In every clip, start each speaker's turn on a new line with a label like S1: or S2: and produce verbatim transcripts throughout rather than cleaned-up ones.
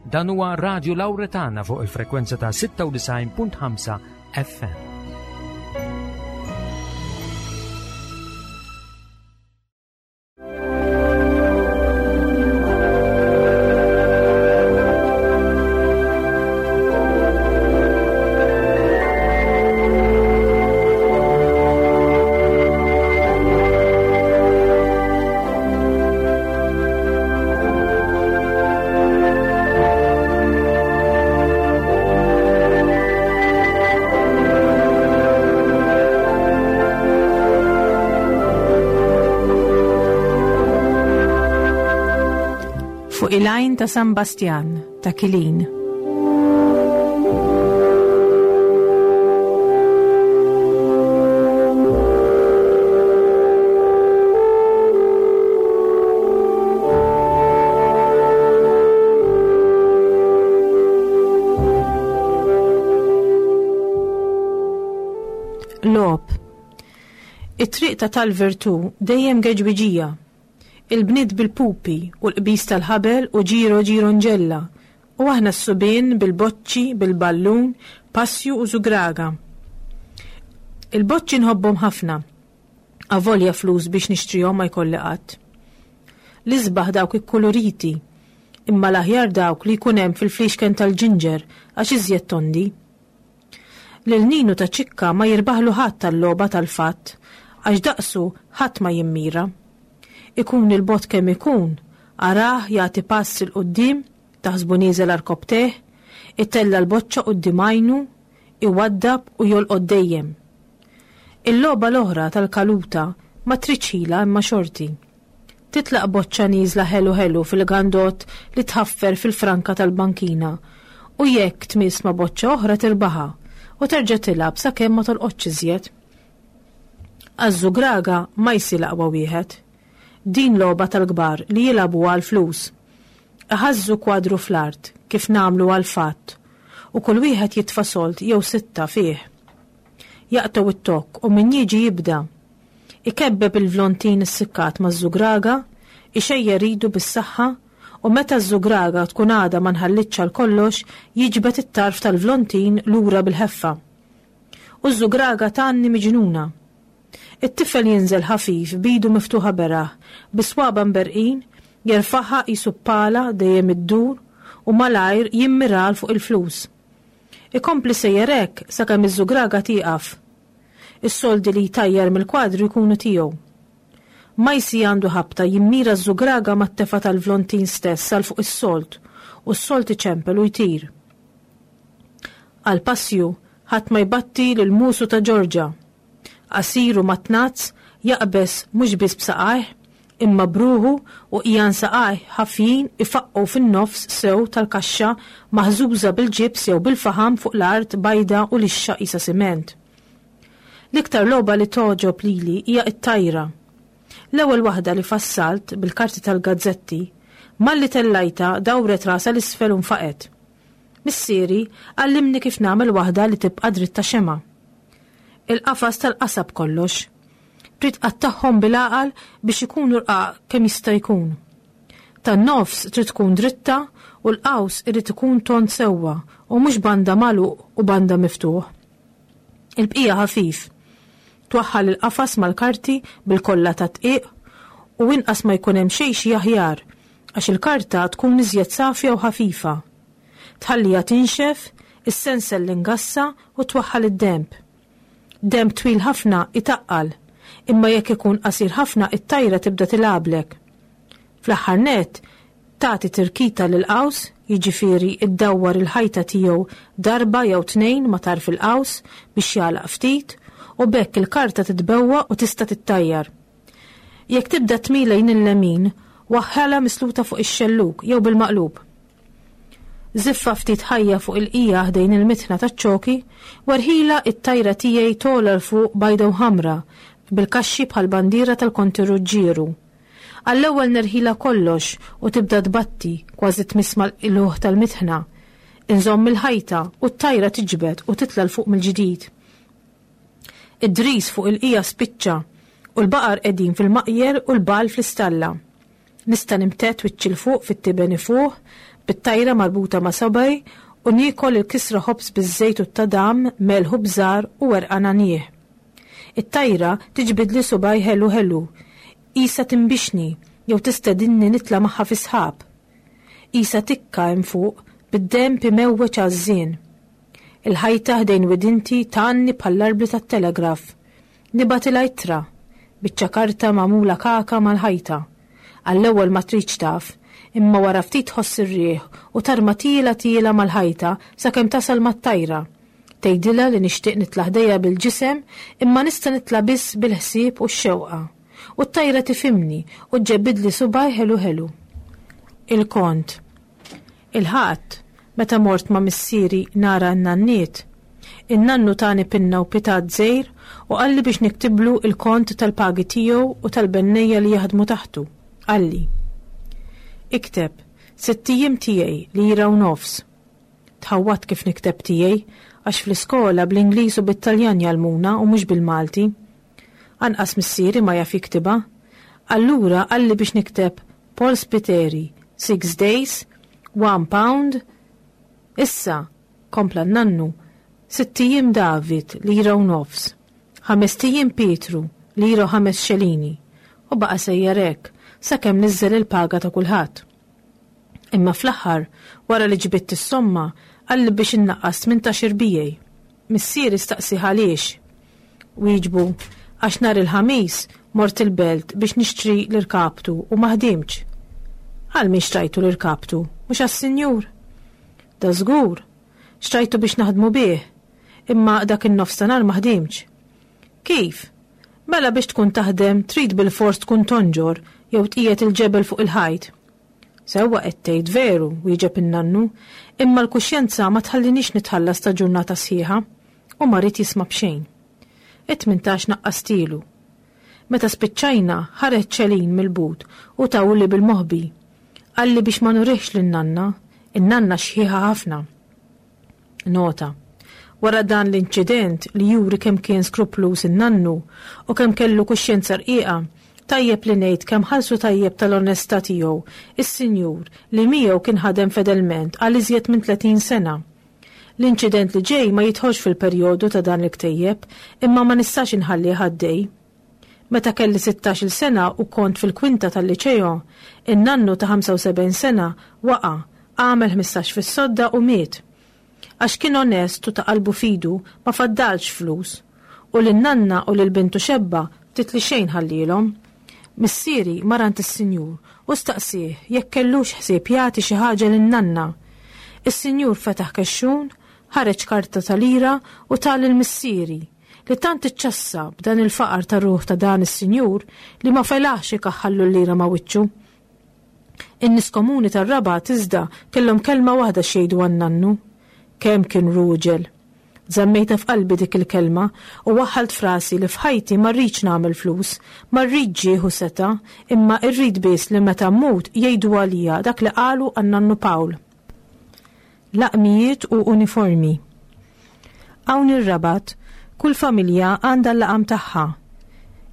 S1: Dan huwa Radio Lauretana fuq il-frekwenza ta' sitta u disgħin punt ħamsa F M.
S2: Fuq il-għajn ta' San Bastjan ta' Kilin. Logħob. It-triq ta' tal-Virtu dejjem geġwiġija. Il-bniet bil-pupi u l-qbis tal-ħabel u ġiro ġiro nġella u aħna s-subien bil-boċċi, bil-ballun, passju u żugraga. Il-boċċi nħobbhom ħafna. Avolja flus biex nixtrihom ma jkolli qatt. L-isbaħ dawk ikkuluriti, imma l-aħjar dawk li jkun hemm fil-flixken tal-ġinġer għax iżjed tondi. Lil Ninu ta' ċikka ma jirbaħlu ħadd tal-logħba tal-fatt għax daqsu ħadd ma jimmira. Ikun il-bogħod kemm ikun, arah jagħti pass 'il quddiem, taħsbu nieżel għarkopptejh, itella' l-boċċa quddiem għajnu, iwaddab u jolqod dejjem. Il-logħba l-oħra tal-kaluta ma tridx ħila imma xorti. Titlaq boċċa nieżla ħelu ħelu fil-gandot li tħaffer fil-franka tal-bankina u jekk tmiss ma' boċċa oħra tirbaħa u terġa' tilgħab sakemm ma tolqotx iżjed. Għaż-żugraga ma jsir aqwa wieħed. Din logħba tal-kbar li jilagħbu għal flus. Iħażżu kwadru fl-art kif nagħmlu għal fatt u kull wieħed jitfa' sold jew sitta fih. Jaqtgħu it-tokk u min jiġi jibda. Ikebbeb il-vlontin issikkat maż-żugraga, ixejjer idu bis-saħħa u meta ż-żugraga tkun għadha ma nħallitx għal kollox jiġbed it-tarf tal-vlontin lura bil-ħeffa. U ż-żugraga tgħanni miġnuna. It-tifel jinżel ħafif b'idu miftuħa beraħ, bi swaba' mberqin, jerfaħha qisu pala dejjem iddur u malajr jimmiral fuq il-flus. Ikompli sejjer hekk sakemm iż-żugraga tieqaf. Is-soldi li jtajjar mill-kwadru jkunu tiegħu. Majsi għandu ħabta jimmira ż-żugraga mat-tefa tal-vlontin stess għal fuq is-sold u s-sold iċempel u jtir. Għal passju ħadd ma jbatti lil musu ta' Ġorġa. Qasir u matnazz jaqbeż mhux biss b'saqajh imma bruħu u qiegħan saqajh ħafjin ifaqqu fin-nofs sew tal-kaxxa maħżuża bil-ġibs jew bil-faħam fuq l-art bajda u lixxa qisha siment. L-iktar logħba li togħġob lili hija t-tajra. L-ewwel waħda li fassalt bil-karti tal-gazzetti, malli tellajta dawret rasha l-isfel u nfaqet. Missieri għallimni kif nagħmel waħda li tibqa' dritta xema. Il-qafas tal-qasab kollox. Trid tqattagħhom bil-għaqal biex ikunu rqaq kemm jista' jkun. Tan-nofs trid tkun dritta u l-qaws irid ikun tond sewwa u mhux banda magħluq u banda miftuħ. Il-bqija ħafif. Twaħħal il-qafas mal-karti bil-kolla ta' dqiq u inqas ma jkun hemm xejn xi aħjar għax il-karta tkun iżjed safja u ħafifa. Tħallija tinxef, issensel l-ingassa u twaħħal id-demb. Demb twil ħafna itaqqal, imma jekk ikun qasir ħafna it-tajra tibda tilgħablek. Fl-aħħar nett, tagħti tirkita lil qaws, jiġifieri iddawwar il-ħajta tiegħu darba jew tnejn ma' tarf il-qaws biex jagħlaq ftit u b'hekk il-karta titbewwa u tista' tittajjar. Jekk tibda tmil lejn il-lemin, waħħalha misluta fuq ix-xelluk jew bil-maqlub. Żiffa ftit ħajja fuq il-qija ħdejn il-mitħna taċ-ċoki, werħila it-tajra tiegħi togħla 'l fuq bajda u ħamra bil-kaxxi bħal bandiera tal-Konti Ruġġieru. Għall-ewwel nerħila kollox u tibda tbatti kważi tmiss mal-qluħ tal-mitħna. Inżomm il-ħajta u t-tajra tiġbed u titla' 'l fuq mill-ġdid. Id-dris fuq il-qija spiċċa u l-baqar qegħdin fil-maqjer u l-bal fl-istalla. Nista' nimtedd wiċċi 'l fuq fit-tiben ifuħ bit-tajra marbuta ma' subgħi u niekol il-kisra ħobż biż-żejt u t-tadam, melħ u bżar u werqa nagħniegħ. It-tajra tiġbidli subgħi ħelu ħelu, qisha tinbixni jew tistedinni nitla' magħha fis-sħab. Qisha tikka hemm fuq bid-denb imewweġ għażżien. Il-ħajta ħdejn widinti tgħanni bħall-arbli tat-telegraf. Nibgħatilha ittra, biċċa karta magħmula kaka mal-ħajta. Għall-ewwel ma tridx taf, imma wara ftit tħoss ir-riħ u tarma tiela tiela mal-ħajta sakemm tasal mat-tajra. Tgħidilha li nixtieq nitla' ħdejha bil-ġisem imma nista' nitla' biss bil-ħsieb u x-xewqa. U t-tajra tifhimni u ġġebbidli subgħi ħelu ħelu. Il-kont. Il-Ħadd, meta mort ma' missieri nara n-nanniet, in-nannu tani pinna u pitat żgħir u qalli biex niktiblu il-kont tal-pagi tiegħu u tal-bennejja li jaħdmu taħtu. Qalli: Ikteb, sitt ijiem tiegħi lira u nofs. Tħawwadt kif nikteb tiegħi għax fl-iskola bl-Ingliż u bit-Taljan jgħallmuna u mhux bil-Malti. Anqas missieri ma jaf jiktibha. Allura qalli biex nikteb Paul Spiteri, six days, one pound. Issa, kompla n-nannu, sitt ijiem David, lira u nofs. Ħamest ijiem Pietru, lira u ħames xelini. U baqa' sejjer hekk, sakemm niżżel il-paga ta' kulħadd. Imma fl-aħħar, wara li ġbidt is-somma, qalli biex innaqqas tmintax irbijej. Missieri staqsi għaliex. Wieġbu, għax nhar il-Ħamis mort il-belt biex nixtri l-irkaptu u ma ħdimtx. Għal min xtrajtu l-irkaptu, mhux għas-sinjur? Da żgur, xtrajtu biex naħdmu bih, imma dak in-nofstanhar ma ħdimtx. Kif? Mela biex tkun taħdem trid bilfors tkun tonġor jew tqiegħed il-ġebel fuq il-ħajt. Sewwa qed tgħid veru, wieġeb in-nannu, imma l-kuxjenza ma tħallinix nitħallas ta' ġurnata sħiħa u ma ried jisma' b'xejn. It-tmintax naqqastilu. Meta spiċċajna ħareġ ċelin mill-but u tawli bil-moħbi. Qalli biex ma nurihx lin-nanna, in-nanna xħiħa ħafna. Nota. Wara dan l-inċident li juri kemm kien skrupluż in-nannu u kemm kellu kuxjenza rqiqa, tajjeb li ngħid kemm ħallsu tajjeb tal-onestà tiegħu is-sinjur li miegħu kien ħadem fedelment għal iżjed minn tletin sena. L-inċident li ġej ma jidħolx fil-perjodu ta' dan il-ktejjeb, imma ma nistax inħallih għaddej. Meta kelli sittax-il sena u kont fil-kwinta tal-liċeo, in-nannu ta' ħamsa u sebgħin sena waqa', għamel ħmistax fis-sodda u miet. Għax kien onest u ta' qalbu fidu ma faddalx flus, u lin-nanna u lil bintu xebba ftit li xejn ħallielhom. Missieri mar għand is-sinjur u staqsieh jekk kellux ħsieb jagħti xi ħaġa lin-nanna. Is-sinjur fetaħ kexxun, ħareġ karta ta' lira u ta lil missieri, li tant iċċassa b'dan il-faqar ta' ruħ ta' dan is-sinjur li ma felaħx ikaħħallu l-lira ma' wiċċu. In-nies komuni tar-Rabat iżda kellhom kelma waħda x'jgħidu għan-nannu. Kemm kien ruġel. Żammejtha f'qalbi dik il-kelma u waħħalt frasi li f'ħajti ma rridx nagħmel flus, ma rridx ġieħ u seta', imma rrid biss li meta mmut jgħidu għalija dak li qalu għan-nannu Pawl. Laqmijiet u uniformi. Hawn ir-Rabat, kull familja għandha l-laqam tagħha.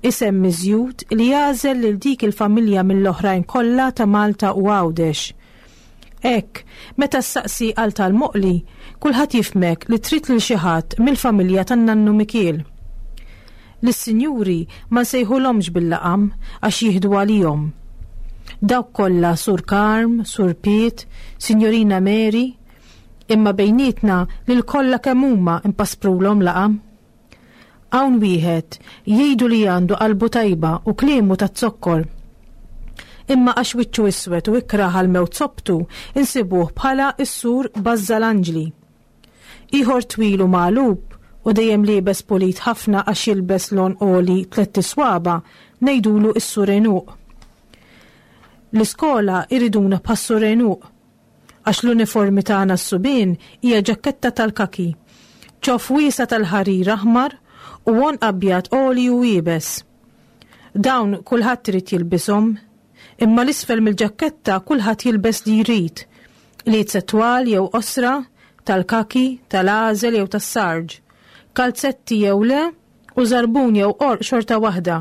S2: Isem miżjud li jagħżel lil dik il-familja mill-oħrajn kollha ta' Malta u Għawdex. Hekk, meta ssaqsi għal tal-Moqli, kulħadd jifhmek li trid lil xi ħadd mill-familja tan-nannu Mikiel. Lis-sinjuri ma nsejħulhomx bil-laqam għax jieħdu għalihom. Dawk kollha Sur Karm, Sur Piet, Sinjorina Mary, imma bejnietna lil kollha kemm huma impasprulhom laqam. Hawn wieħed jgħidu li għandu qalbu tajba u kliemu taz-zokkor. Imma għax wiċċu iswed u ikrah għal mewt sobtu, insibuh bħala s-sur Bazzalanġli. Ieħor twil u magħlub u dejjem liebes pulit ħafna għax jilbes lon għoli tlett iswaba, ngħidulu s-sur Enuq. L-iskola iriduna bħas-sur Enuq, għax l-uniformi tagħna s-subien hija ġaketta tal-kaki, ċoff wiesa tal-ħarir aħmar u għonq abjad għoli u iebes. Dawn kulħadd irid jilbishom, imma l-isfel mill-ġaketta kulħadd jilbes li jrid, li twal jew qosra, tal-kaki, tal-għażel jew tas-sarġ, kalzetti jew le, u żarbun jew qorq xorta waħda.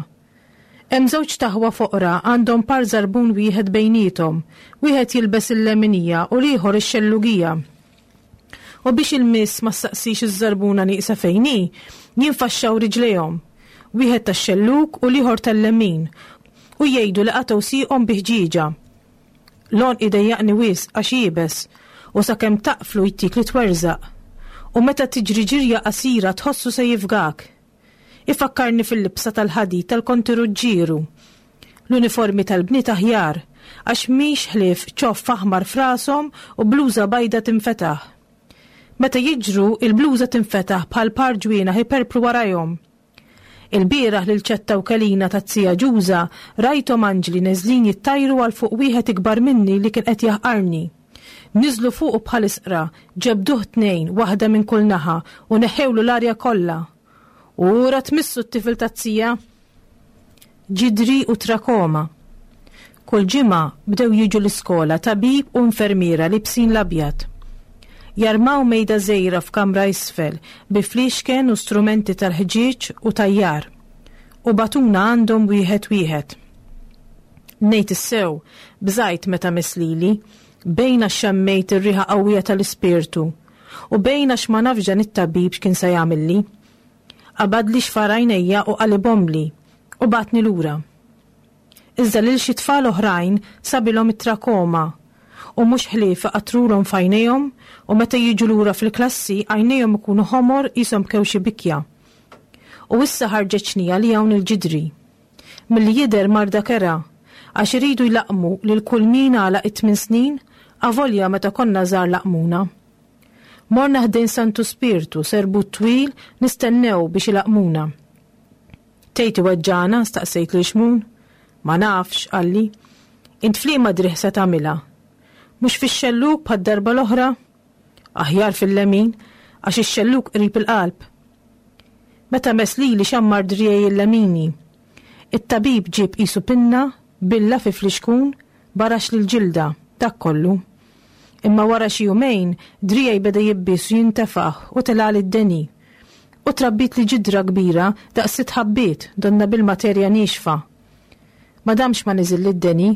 S2: Hemm żewġt aħwa foqra għandhom par żarbun wieħed bejniethom, wieħed jilbes il-leminija u l-ieħor ix-xellugija. U biex il-miss ma ssaqsix iż-żarbuna nieqsa fejn hi, jinfaxxaw riġlejhom, wieħed tax-xellug u l-ieħor tal-lemin, u jgħidu li qatgħu sieqhom bi ħġieġa. L-għonq idejjaqni wisq għax iebes u sakemm taqflu jtik li twerżaq. U meta tiġri ġirja qasira tħossu se jifgak. Ifakkarni fil-libsa tal-ħadid tal-Konti Ruġġieru. L-uniformi tal-bniet aħjar għax mhix ħlief ċoff aħmar f'rashom u bluża bajda tinfetaħ. Meta jiġru, il-bluża tinfetaħ bħal par ġwienaħ iperpru warajhom. Il-bieraħ lil Ċetta u Kelina taz-zija Ġuża rajthom anġli neżlin jittajru għal fuq wieħed ikbar minni li kien qed jaħqarni. Niżlu fuqu bħal isqra, ġebduh tnejn, waħda minn kull naħa, u neħħewlu l-arja kollha. Ura tmissu t-tifel taz-zija! Ġidri u trakoma. Kull ġimgħa bdew jiġu l-iskola tabib u infermiera libsin l-abjad. Jarmaw mejda żgħira f'kamra isfel bi fliexken u strumenti tal-ħġieġ u tajjar. U batuna għandhom wieħed wieħed. Ngħid is-sew, bżajt meta miss lili, bejn għax xammejt ir-riħa qawwija tal-ispirtu u bejn għax ma nafx dan it-tabib x'kien se jagħmilli. Qabadli xfar għajnejja u qalibhomli u bagħatni lura. Iżda lil xi tfal oħrajn sabilhom it-trakoma u mhux ħlief iqattrulhom f'għajnejhom u meta jiġu lura fil-klassi għajnejhom ikunu ħomor qishom bkew xi bikja. U issa ħarġet xnija li hawn il-ġidri. Milli jidher marda kerha għax iridu jlaqqmu lil kull min għalaq it-tmien snin avolja meta konna żgħar laqqmuna. Morna ħdejn Santu Spirtu serbut twil nistennew biex ilaqqmuna. Tgħid iweġġagħna? Staqsejt lil Xmun. Ma nafx, qalli. Int f'liema driegħ se tagħmilha? Mhux fix-xellug bħad-darba l-oħra? Aħjar fil-lemin, għax ix-xellug qrib il-qalb. Meta mess lili xammar driegħi il-lemini. It-tabib ġieb qisu pinna, billa fi flixkun, barax lill-ġilda, dak kollu. Imma wara xi jumejn, driegħi beda jibbies u jintefaħ u telgħali d-deni. U trabbitli ġidra kbira daqs sitt ħabbiet donna bil-materja niexfa. Ma damx ma niżilli d-deni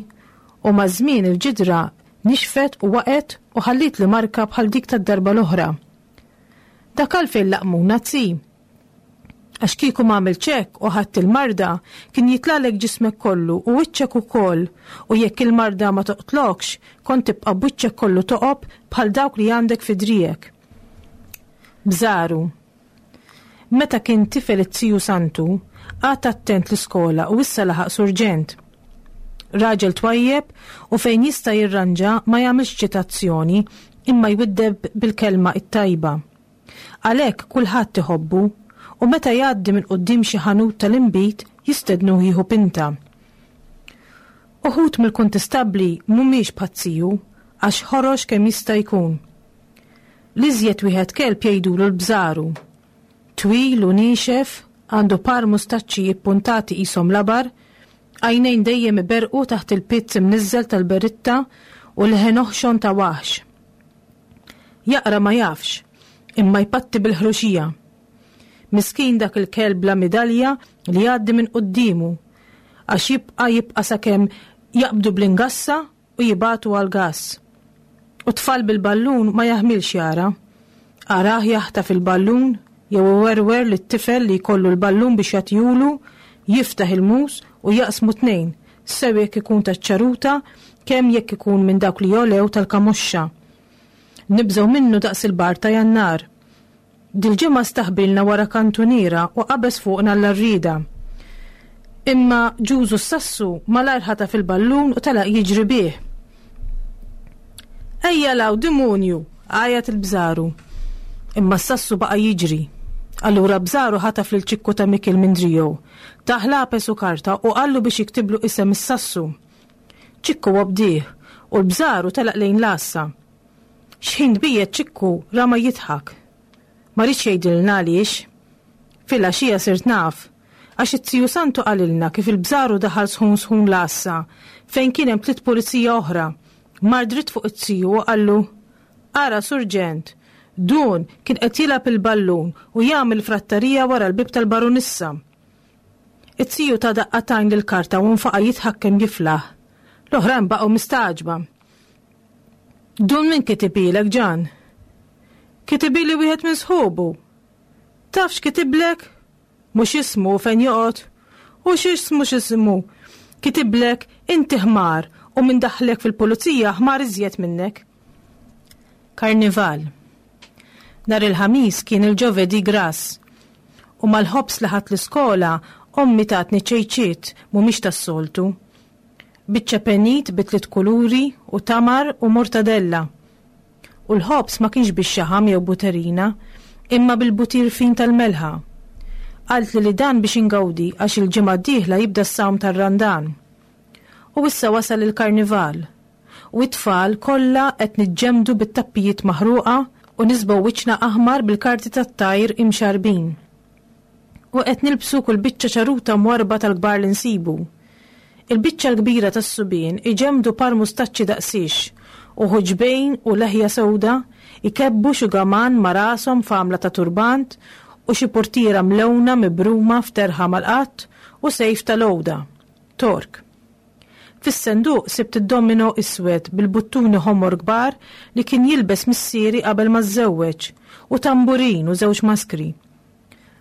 S2: u maż-żmien il-ġidra nixfet u waqgħet u ħallitli marka bħal dik tad-darba l-oħra. Dak għalfejn laqmuna tzi. Għax kieku ma għamiltx hekk u ħadt il-marda kien jitlalek ġismek kollu u wiċċek ukoll u jekk il-marda ma toqtlokx kont tibqa' b'wiċċek kollu toqob bħal dawk li għandek fi driegħek. Bżaru. Meta kien tifel it-tiju Santu, qagħad attent l-iskola u issa laħaq surġent. Raġel twajjeb u fejn jista' jirranġa ma jagħmilx ċitazzjoni imma jwiddeb bil-kelma it-tajba. Għalhekk kulħadd iħobbu u meta jgħaddi minn quddiem xi ħanut tal-inbid jistednuh jieħu pinta. Uħud mill-kuntistabbli mhumiex bħat-tiju għax ħorox kemm jista' jkun. L-iżjed wieħed kelb jgħidulu l-bżaru. Twil u niexef, għandu par mustaċċi ippuntati qishom labar, għajnejn dejjem iberqu taħt il-pizz imniżżel tal-beritta u leħen oħxon ta' waħx. Jaqra ma jafx, imma jpatti bil-ħruxija. Miskin dak il-kelb bla midalja li jgħaddi minn quddiemu, għax jibqa' jibqa' sakemm jaqbdu bl-ingassa u jibagħtu għall-gass. U tfal bil-ballun ma jaħmilx jara. Arah jaħtaf il-ballun jew iwerwer lit-tifel li jkollu l-ballun biex jagħtihulu, jiftaħ il-mus u jaqsmu tnejn, sew jekk ikun taċ-ċaruta, kemm jekk ikun minn dawk li jolew tal-kamoxxa. Nibżgħu minnu daqs il-bar ta' Jannar. Dil-ġimgħa staħbilna wara kantuniera u qabeż fuqna l-arrieda. Imma Ġużu s-Sassu malajr ħataf il-ballun u telaq jiġri bih. Ejja law, dimunju! Għajat il-bżaru. Imma s-Sassu baqa' jiġri. Allura Bżaru ħataf lil Ċikku ta' Mikil minn driegħu, tah lapes u karta u qallu biex jiktiblu isem is-Sassu. Ċikku obdih u l-Bżaru telaq lejn l-għassa. Xħin tbiegħed Ċikku rama jidħak. Ma riedx jgħidilna għaliex. Filgħaxija sirt naf, għax it-tiju Santu qalilna kif il-Bżaru daħal sħun sħun l-għassa fejn kien hemm tliet pulizija oħra. Mar dritt fuq it-tiju u qallu, Ara, Surġent, dun kien qed jilgħab il-ballun u jagħmel frattarija wara l-bib tal-barunissa. It-tiju ta daqqa t'għajn lill-karta u nfaqa' jidħak kemm jiflaħ. L-oħrajn baqgħu mistagħġba. Dun min kitibilek, Ġan? Kitibili wieħed minn sħubu. Taf x'kitiblek? Mhux ismu fejn joqgħod. U x'ismu x'ismu? Kitiblek inti ħmar u min daħħlek fil-pulizija ħmar iżjed minnek. Karnival. Nhar il-Ħamis kien il-Ġovedi Grass. U mal-ħobż li ħadt l-iskola ommi tatni ċejċiet mhumiex tas-soltu. Biċċa penit bi tliet kuluri u tamar u mortadella. U l-ħobż ma kienx bix-xaħam jew buterina, imma bil-butir fin tal-melħa. Qaltli li dan biex ingawdi għax il-ġimgħa d-dieħla jibda s-sawm tar-Randan. U issa wasal il-karnival. U it-tfal kollha qed niġġemdu bit-tappijiet maħruqa u nisbgħu wiċċna aħmar bil-karti tat-tajr imxarbin. U qed nilbsu kull biċċa ċaruta mwarba tal-kbar li nsibu. Il-biċċa l-kbira tas-subien iġemdu par mustaċċi daqsix u ħuġbejn u leħja sewda, ikebbu xugaman ma' rashom f'għamla ta' turbant u xi portiera mlewna mibruma f'terħa mal-qatt u sejf tal-għoda, tork. Fis-senduq sibt id-domino iswed bil-buttuni ħomor kbar li kien jilbes missieri qabel ma żżewweġ u tamburin u żewġ maskri.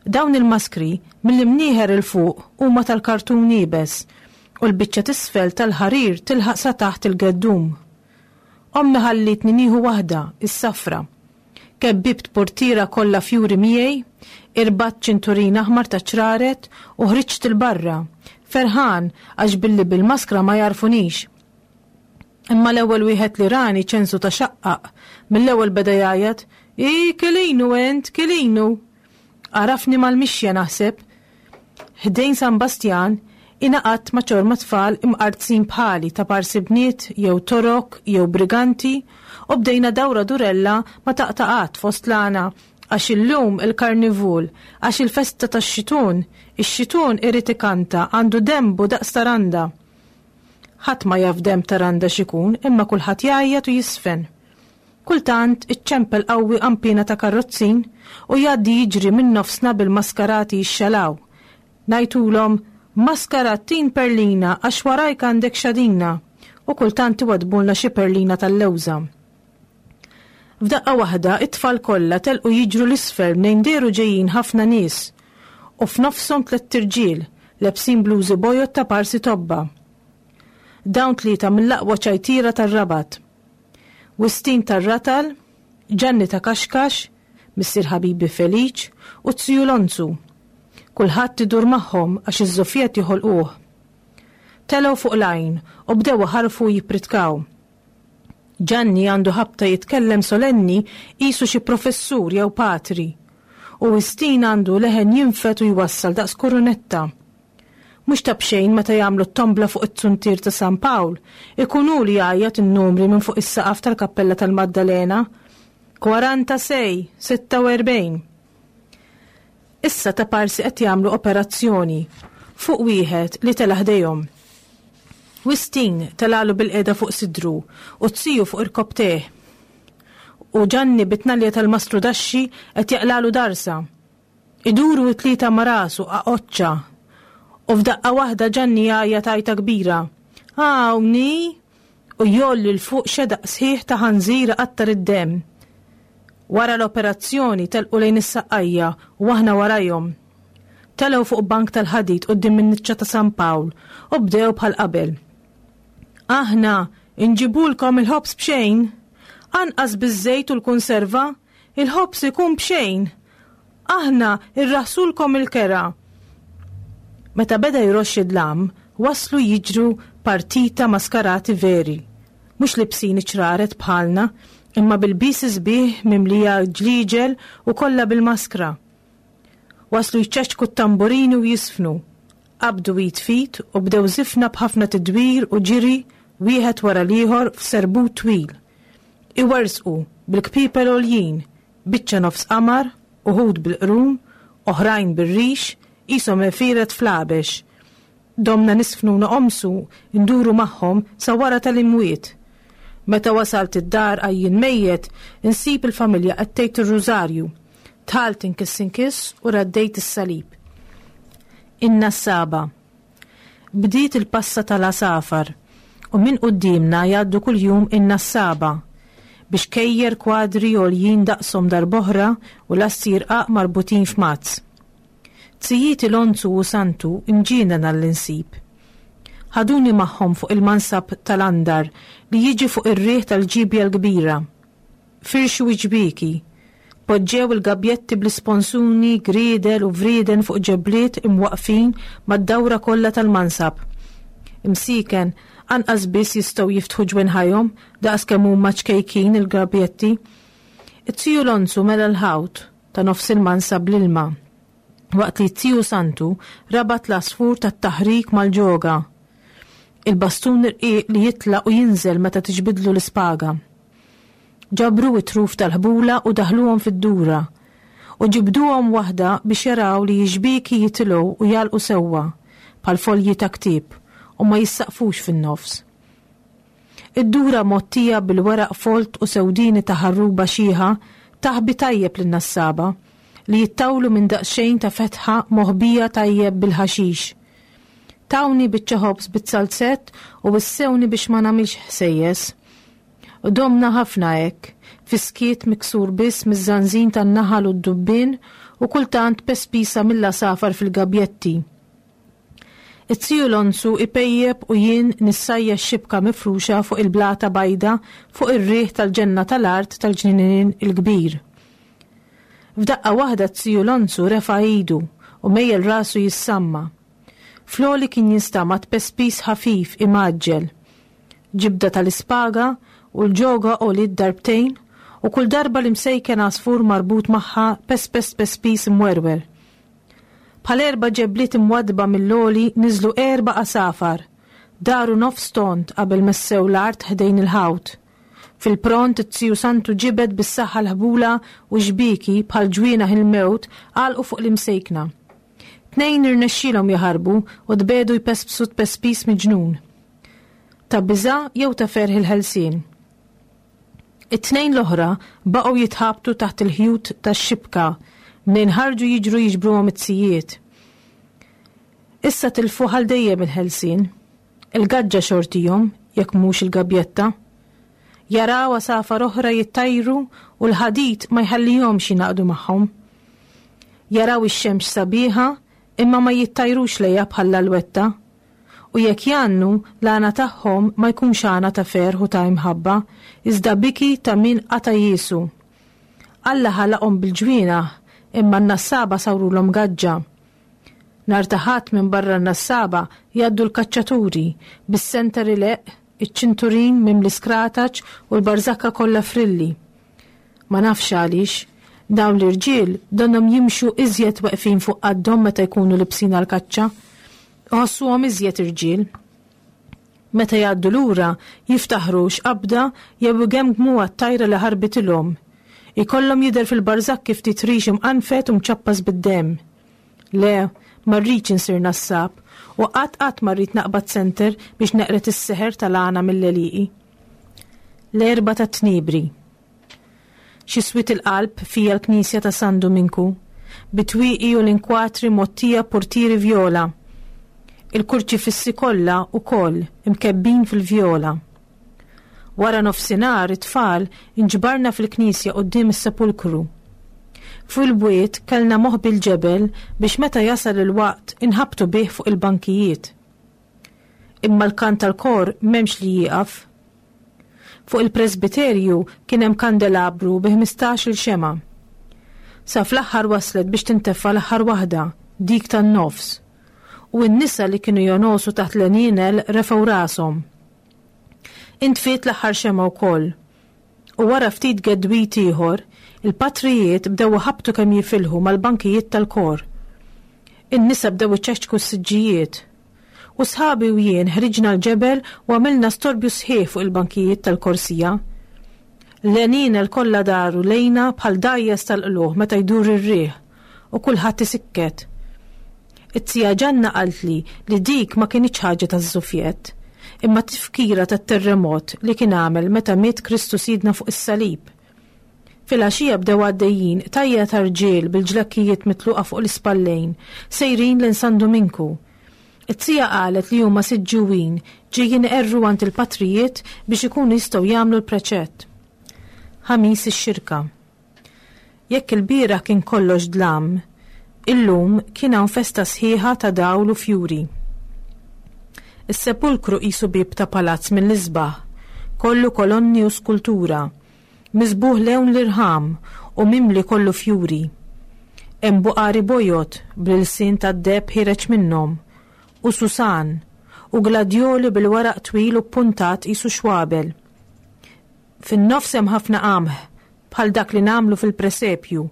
S2: Dawn il-maskri mill-imnieħer 'il fuq huma tal-kartun iebes u l-biċċa t'isfel tal-ħarir tilħaq sa taħt il-geddum. Ommi ħallitni nieħu waħda, is-safra. Kebbibt portiera kollha fjuri miegħi, irbatt ċinturin aħmar ta' ċraret u ħriġt 'il barra, ferħan għax billi bil-maskra ma jarfunix. Imma l-ewwel wieħed li rani ċensu ta' xaqqaq, mill-ewwel beda jgħajjat, "I Kelinu ent, Kelinu!" Għarafni mal-mixja naħseb. Ħdejn San Bastjan ingħaqadt ma' ċorma tfal imqartzin bħali ta' parsi bniet jew torok jew briganti u bdejna dawra durella ma taqta' qatt fost l-għana għax illum il-karnivul, għax il-festa tax-xitun, ix-xitun irid ikanta għandu dembu daqs taranda. Ħadd ma jaf demb taranda x'ikun imma kulħadd jgħajjat u jisfen. Kultant iċċempel qawwi qampina ta' karrozzin u jgħaddi jiġri minn nofsna bil-maskarati jixxalaw. Ngħidulhom maskarattin perlina għax warajk għandek xadina u kultant iwadbulna xi perlina tal-lewża. F'daqqa waħda it-tfal kollha telqu jiġru l-isfel mnejn dehru ġejjin ħafna nies u f'nofshom tlett irġiel lebsin blużi bojod ta' parsi tobba. Dawn tlieta mill-aqwa ċajtira tar-Rabat. Wistin tar-Ratal, Ġanni ta' Kaxkax, missier ħabibi Feliċ u Ziju Lonzu. Kulħadd idur magħhom għax iż-żofjet joħolquh. Telgħu fuq l-għajn u bdew iħarfu jippritkaw. Ġanni għandu ħabta jitkellem solenni qisu xi professur jew patri. U Wistin għandu leħen jinfed u jwassal daqs kurunetta. Mhux ta' b'xejn meta jagħmlu t-tombla fuq it-tsuntier ta' San Pawl, ikun hu li jgħajjat in-numri minn fuq is-saqaf tal-Kappella tal-Maddalena. Kwaranta sej, sitta u erbgħin. Issa ta' parsi qed jagħmlu operazzjoni fuq wieħed li tela' ħdejhom. Wistin telalu bil-qeda fuq sidru u t-siju fuq irkobteh. U Ġanni bit-tnalja tal-mastru daxxi qed jaqlalu darsa. Iduru t-tlieta ma' rasu qaqoċċa. U f'daqqa waħda Ġanni jgħajjat għajta kbira. Hawnni! U jgħolli 'l fuq xedaq sħiħ ta' ħanżira qattar id-demm. Wara l-operazzjoni telqu lejn is-saqqajja u aħna warajhom. Telgħu fuq bank tal-ħadid quddiem in-niċċa ta' San Pawl u bdew bħal qabel. Aħna inġibulkom il-ħobż b'xejn, anqas biż-żejt u l-konserva, il-ħobż ikun b'xejn. Aħna irraħsulkom il-kera. Meta beda jroxx id-dlam, waslu jiġru partita maskarati veri. Mhux libsin iċraret bħalna, imma bil-bis sbieħ mimlija ġliġel u kollha bil-maskra. Waslu jċeċku t-tamburini u jisfnu. Qabdu id fit u bdew żifna b'ħafna tidwir u ġiri wieħed wara l-ieħor f'serbut twil. Iwersqu bil-kpipel għoljin, biċċa nofs qamar, uħud bil-qrun, oħrajn bir-rix, qishom għefieret fl-għabex. Domna nisfnu noqomsu nduru magħhom sa wara tal-imwiet. Meta wasalt id-dar għajjien mejjet, insib il-familja qed tgħid ir-rużarju. Dħalt inkiss inkiss u raddejt is-salib. In-nassaba. Bdiet il-passa tal-għasafar u minn quddiemna jgħaddu kuljum in-nassaba biex kejjer kwadri għoljin daqshom darb'oħra u lasti rqaq marbutin f'mazz. Zijieti Lonzu u Santu imġienen għall-insib. Ħaduni magħhom fuq il-mansab tal-andar li jiġi fuq ir-riħ tal-ġibja l-kbira. Firxu ġbiki, poġġew il-gabjetti bl-isponsuni, griedel u vrieden fuq ġebliet imwaqfin mad-dawra kollha tal-mansab. Imsiken, anqas biss jistgħu jiftħu ġwenħajhom daqs kemm huma ċkejkin il-gabjetti. It-tiju Lonzu mela l-ħawt ta' nofs il-mansab l-ilma, waqt li t-tiju Santu rabat l-għasfur tat-taħrik mal-ġoga. Il-bastun irqiq li jitla' u jinżel meta tiġbidlu l-ispaga. Ġabru it-truf tal-ħbula u daħluhom fid-dura u ġibduhom waħda biex jaraw li x-xbieki jitilgħu u jagħlqu sewwa bħal folji ta' ktieb u ma jissaqfux fin-nofs. Id-dura mgħottija bil-weraq folt u sewdini ta' ħarruba xiħa taħbi tajjeb lin-nassaba li jittawlu minn daqsxejn ta' fetħa moħbija tajjeb bil-ħaxix. Tawni biċċa ħobż bit-salzett u wissewni biex ma nagħmilx ħsejjes. U domna ħafna hekk, fis-skiet miksur biss miż-żanżin tan-naħal u d-dubbien u kultant pespisa mill-għasafar fil-gabjetti. It-tiju Lonzu ipejjep u jien nissajja x-xibka mifruxa fuq il-blata bajda fuq ir-riħ tal-ġenna tal-art tal-ġnien il-kbir. F'daqqa waħda t-tiju Lonzu refa' idu u mejjel rasu jissamma. Fl-għoli kien jinstama' tpespis ħafif imgħaġġel. Ġibda tal-ispaga u l-ġoga għoliet darbtejn u kull darba l-imsejken għasfur marbut magħha pespes tpespis imwerwer. Bħal erba' ġebliet imwaddba mill-għoli niżlu erba' għasafar, daru nofs tond qabel messew l-art ħdejn il-ħawt. Fil-pront it-tiju Santu ġibed bis-saħħa l-ħbula u xbieki bħal ġwienaħ il-mewt għalqu fuq l-imsejkna. Tnejn irnexxielhom jaħarbu u tbegħdu jpespsu tpespis miġnun. Ta' biża' jew ta' ferħ il-ħelsien. It-tnejn l-oħra baqgħu jitħabtu taħt il-ħjut tax-xibka mnejn ħarġu jiġru jiġbruhom it-tzijiet. Issa tilfu għal dejjem il-ħelsien. Il-gaġġa xortihom, jekk mhux il-gabjetta. Jaraw għasafar oħra jittajru u l-ħadid ma jħallihomx jingħaqdu magħhom. Jaraw ix-xemx sabiħa imma ma jittajrux lejha bħall-alwetta. U jekk jgħannu, l-għana tagħhom ma jkunx għana ta' ferħ u ta' imħabba, iżda biki ta' min qata' jiesu. Alla ħalaqhom bil-ġwienaħ, imma n-nassaba sawrulhom gaġġa. Nhar ta' Ħadd minn barra n-nassaba jgħaddu l-kaċċaturi, bis-senter ileqq, iċ-ċinturin mimli skrataċ u l-barżakka kollha frilli. Ma nafx għaliex, dawn l-irġiel donnhom jimxu iżjed weqfin fuq qaddhom meta jkunu libsin għall-kaċċa. Iħossuhom iżjed irġiel. Meta jgħaddu lura jiftaħru x'qabda jew igemgmu għat-tajra li ħarbitilhom. Ikollhom jidher fil-barżakki ftit rix imqanfed u mċappas bid-demm. Le, ma rridx insir nassab u qatt qatt ma rrid naqbad senter biex neqred is-seħer tal-għana mill-għelieqi. L-Erbgħa tat-Tniebri. Xi swied il-qalb fija l-knisja ta' San Duminku, bit-twieqi u l-inkwatri mgħottija portieri vjola. Il-kurċifissi kollha wkoll imkebbin fil-vjola. Wara nofsinhar it-tfal inġbarna fil-knisja quddiem is-sepulkru. Fuq il-bwiet kellna moħbi l-ġebel biex meta jasal il-waqt inħabtu bih fuq il-bankijiet. Imma l-kant tal-kor m'hemmx li jieqaf. Fuq il-presbiterju kien hemm kandelabru bi ħmistax-il xemgħa. Sa fl-aħħar waslet biex tintefa' l-aħħar waħda, dik tan-nofs. U n-nisa li kienu jonosu taħt l-għenienel refgħu rashom. Intfiet l-aħħar xemgħa wkoll. U wara ftit gedwit ieħor, il-patrijiet bdew iħabbtu kemm jifilħu mal-bankijiet tal-kor. In-nisa bdew iċeċku s-siġġijiet. U sħabi u jien ħriġna l-ġebel u għamilna storbju sħiħ fuq il-bankijiet tal-korsija. L-għenienel kollha daru lejna bħal dgħajjes tal-qlugħ meta jdur ir-riħ u kulħadd isikket. It-tija Ġanna qaltli li dik ma kinitx ħaġa taż-żufjett, imma tifkira tat-terremot li kien għamel meta miet Kristu Sidna fuq is-salib. Filgħaxija bdew għaddejjin tajja ta' rġiel bil-ġlakkijiet mitluqa fuq l-ispallejn, sejrin lejn San Duminku. It-tija qalet li huma Siġġiwin ġejjin iqerru għand il-patrijiet biex ikunu jistgħu jagħmlu l-preċett. Ħamis ix-Xirka. Jekk il-bieraħ kien kollox dlam, illum kien hawn festa sħiħa ta' dawl u fjuri. Is-sepulkru qisu bieb ta' palazz mill-isbaħ, kollu kolonni u skultura, miżbugħ lewn l-irħam u mimli kollu fjuri. Hemm buqari bojod bl-ilsien tad-deheb ħiereġ minnhom, u susan, u gladjoli bil-waraq twil u ppuntat qisu xwabel. Fin-nofs hemm ħafna qamħ, bħal dak li nagħmlu fil-presepju,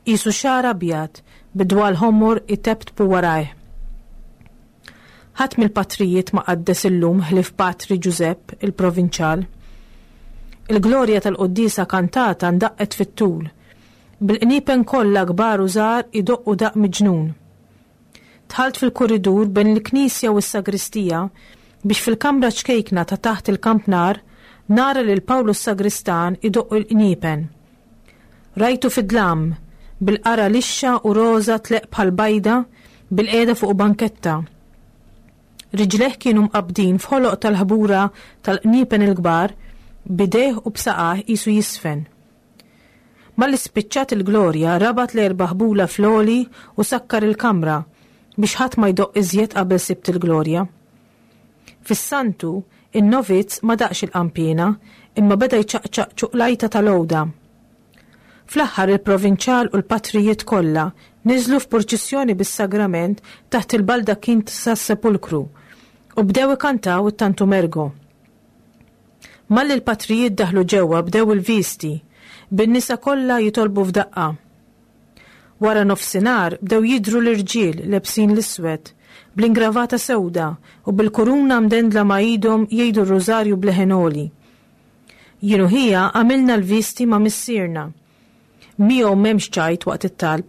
S2: qisu xagħar abjad bid-dwal ħomor iteptpu warajh. Ħadd mill-patrijiet ma qaddes illum ħlief Patri Ġużepp, il-provinċjal. Il-glorja tal-quddiesa kantata ndaqqet fit-tul, bil-qniepen kollha kbar u żgħar idoqqu daqq miġnun. Dħalt fil-kuridur bejn il-knisja u s-sagristija biex fil-kamra ċkejkna ta' taħt il-kampnar nara lil Pawlu s-sagristan idoqq il-qniepen. Rajtu fid-dlam, bil-qara lixxa u roża tleqq bħal bajda bilqiegħda fuq banketta. Riġlejh kienu mqabbdin f'ħoloq tal-ħbura tal-qniepen il-kbar, b'idejh u b'saqajh qisu jiżfen. Malli spiċċat il-glorja rabat l-erba' ħbula fl-għoli u sakkar il-kamra biex ħadd ma jdoqq iżjed qabel Sibt il-Glorja. Fis-Santu, in-novizz ma daqqx il-qanpiena imma beda jċaqċaq ċuqlajta tal-għoda. Fl-aħħar il-provinċjal u l-patrijiet kollha niżlu f'purċissjoni bis-sagrament taħt il-baldakkin tas-sepulkru u bdew ikantaw it-Tantum Ergo. Malli l-patrijiet daħlu ġewwa bdew il-visti, bin-nisa kollha jitolbu f'daqqa. Wara nofsinhar bdew jidhru l-irġiel lebsin l-iswed, bl-ingravata sewda u bil-kuruna mdendla ma' idhom jgħidu r-rużarju b'leħen għoli. Jien u ħija għamilna l-visti ma' missierna. Miegħu m'hemmx ċajt waqt it-talb.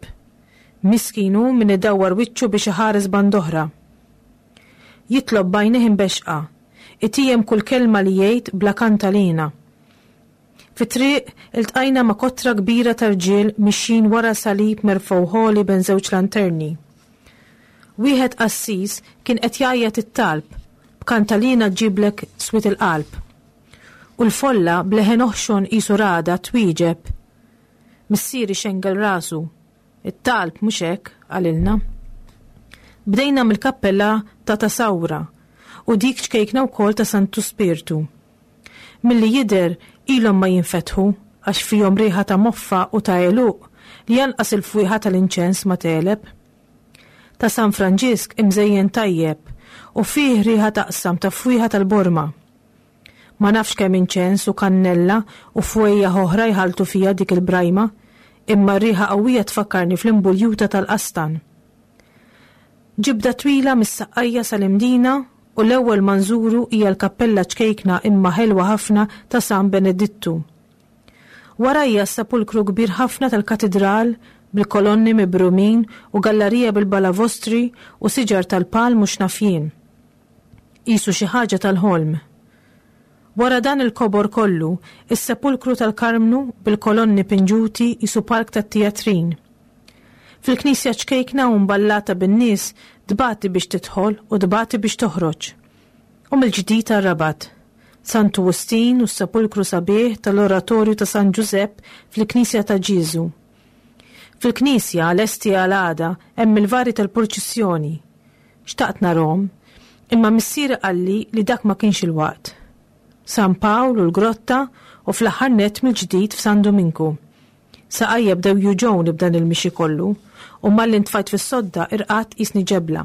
S2: Miskin hu min idawwar wiċċu biex iħares band'oħra. Jitlob b'għajnejh imbexxqa, itijem kull kelma li jgħid bla kantalina. Fit-triq iltqajna ma' kotra kbira ta' rġiel mixjin wara salib merfugħ għoli bejn żewġ lanterni. Wieħed qassis kien qed jgħajjat it-talb b'kantalina ġġiblek swied il-qalb. U l-folla b'leħen oħxon qisu ragħda twieġeb. Missieri xengel rasu. It-talb mhux hekk, qalilna. Bdejna mill-kappella ta' Tasawra u dik ċkejkna wkoll ta' Santu Spirtu. Milli jidher ilhom ma jinfetħu għax fihom riħa ta' moffa u ta' għeluq li janqas il-fwieħa tal-inċens ma tegħleb. Ta' San Franġisk imżejjen tajjeb u fih riħa taqsam ta' fwieħa tal-borma. Ma nafx kemm inċens u kannella u fwejjaħ oħra jħalltu fiha dik il-brajma, imma r-riħa qawwija tfakkarni fl-imbuljuta tal-qastan. Ġibda twila mis-Saqqajja sal-Imdina u l-ewwel ma nżuru hija l-kappella ċkejkna imma ħelwa ħafna ta' San Benedittu. Warajja s-sepulkru kbir ħafna tal-katidral bil-kolonni mibrumin u gallerija bil-balavostri u siġar tal-palm mhux nafjin. Qisu xi ħaġa tal-ħolm. Wara dan il-kobor kollu, is-sepulkru tal-Karmnu bil-kolonni pinġuti qisu park tat-tijatrin. Fil-knisja ċkejkna u mballata bin-nies tbati biex tidħol u tbati biex toħroġ. U mill-ġdid għar-Rabat, Santu Wistin u s-sepulkru sabiħ tal-Oratorju ta' San Ġużepp fil-Knisja ta' Ġieżu. Fil-knisja lesti għal għada hemm il-vari tal-purċissjoni. Xtaqt narhom, imma missieri qalli li dak ma kienx il-waqt. San Pawl u l-Grotta u fl-aħħar nett mill-ġdid f'San Duminku. Saqajja bdew juġgħuni b'dan il-mixi kollu u malli ntfajt fis-sodda irqadt qisni ġebla.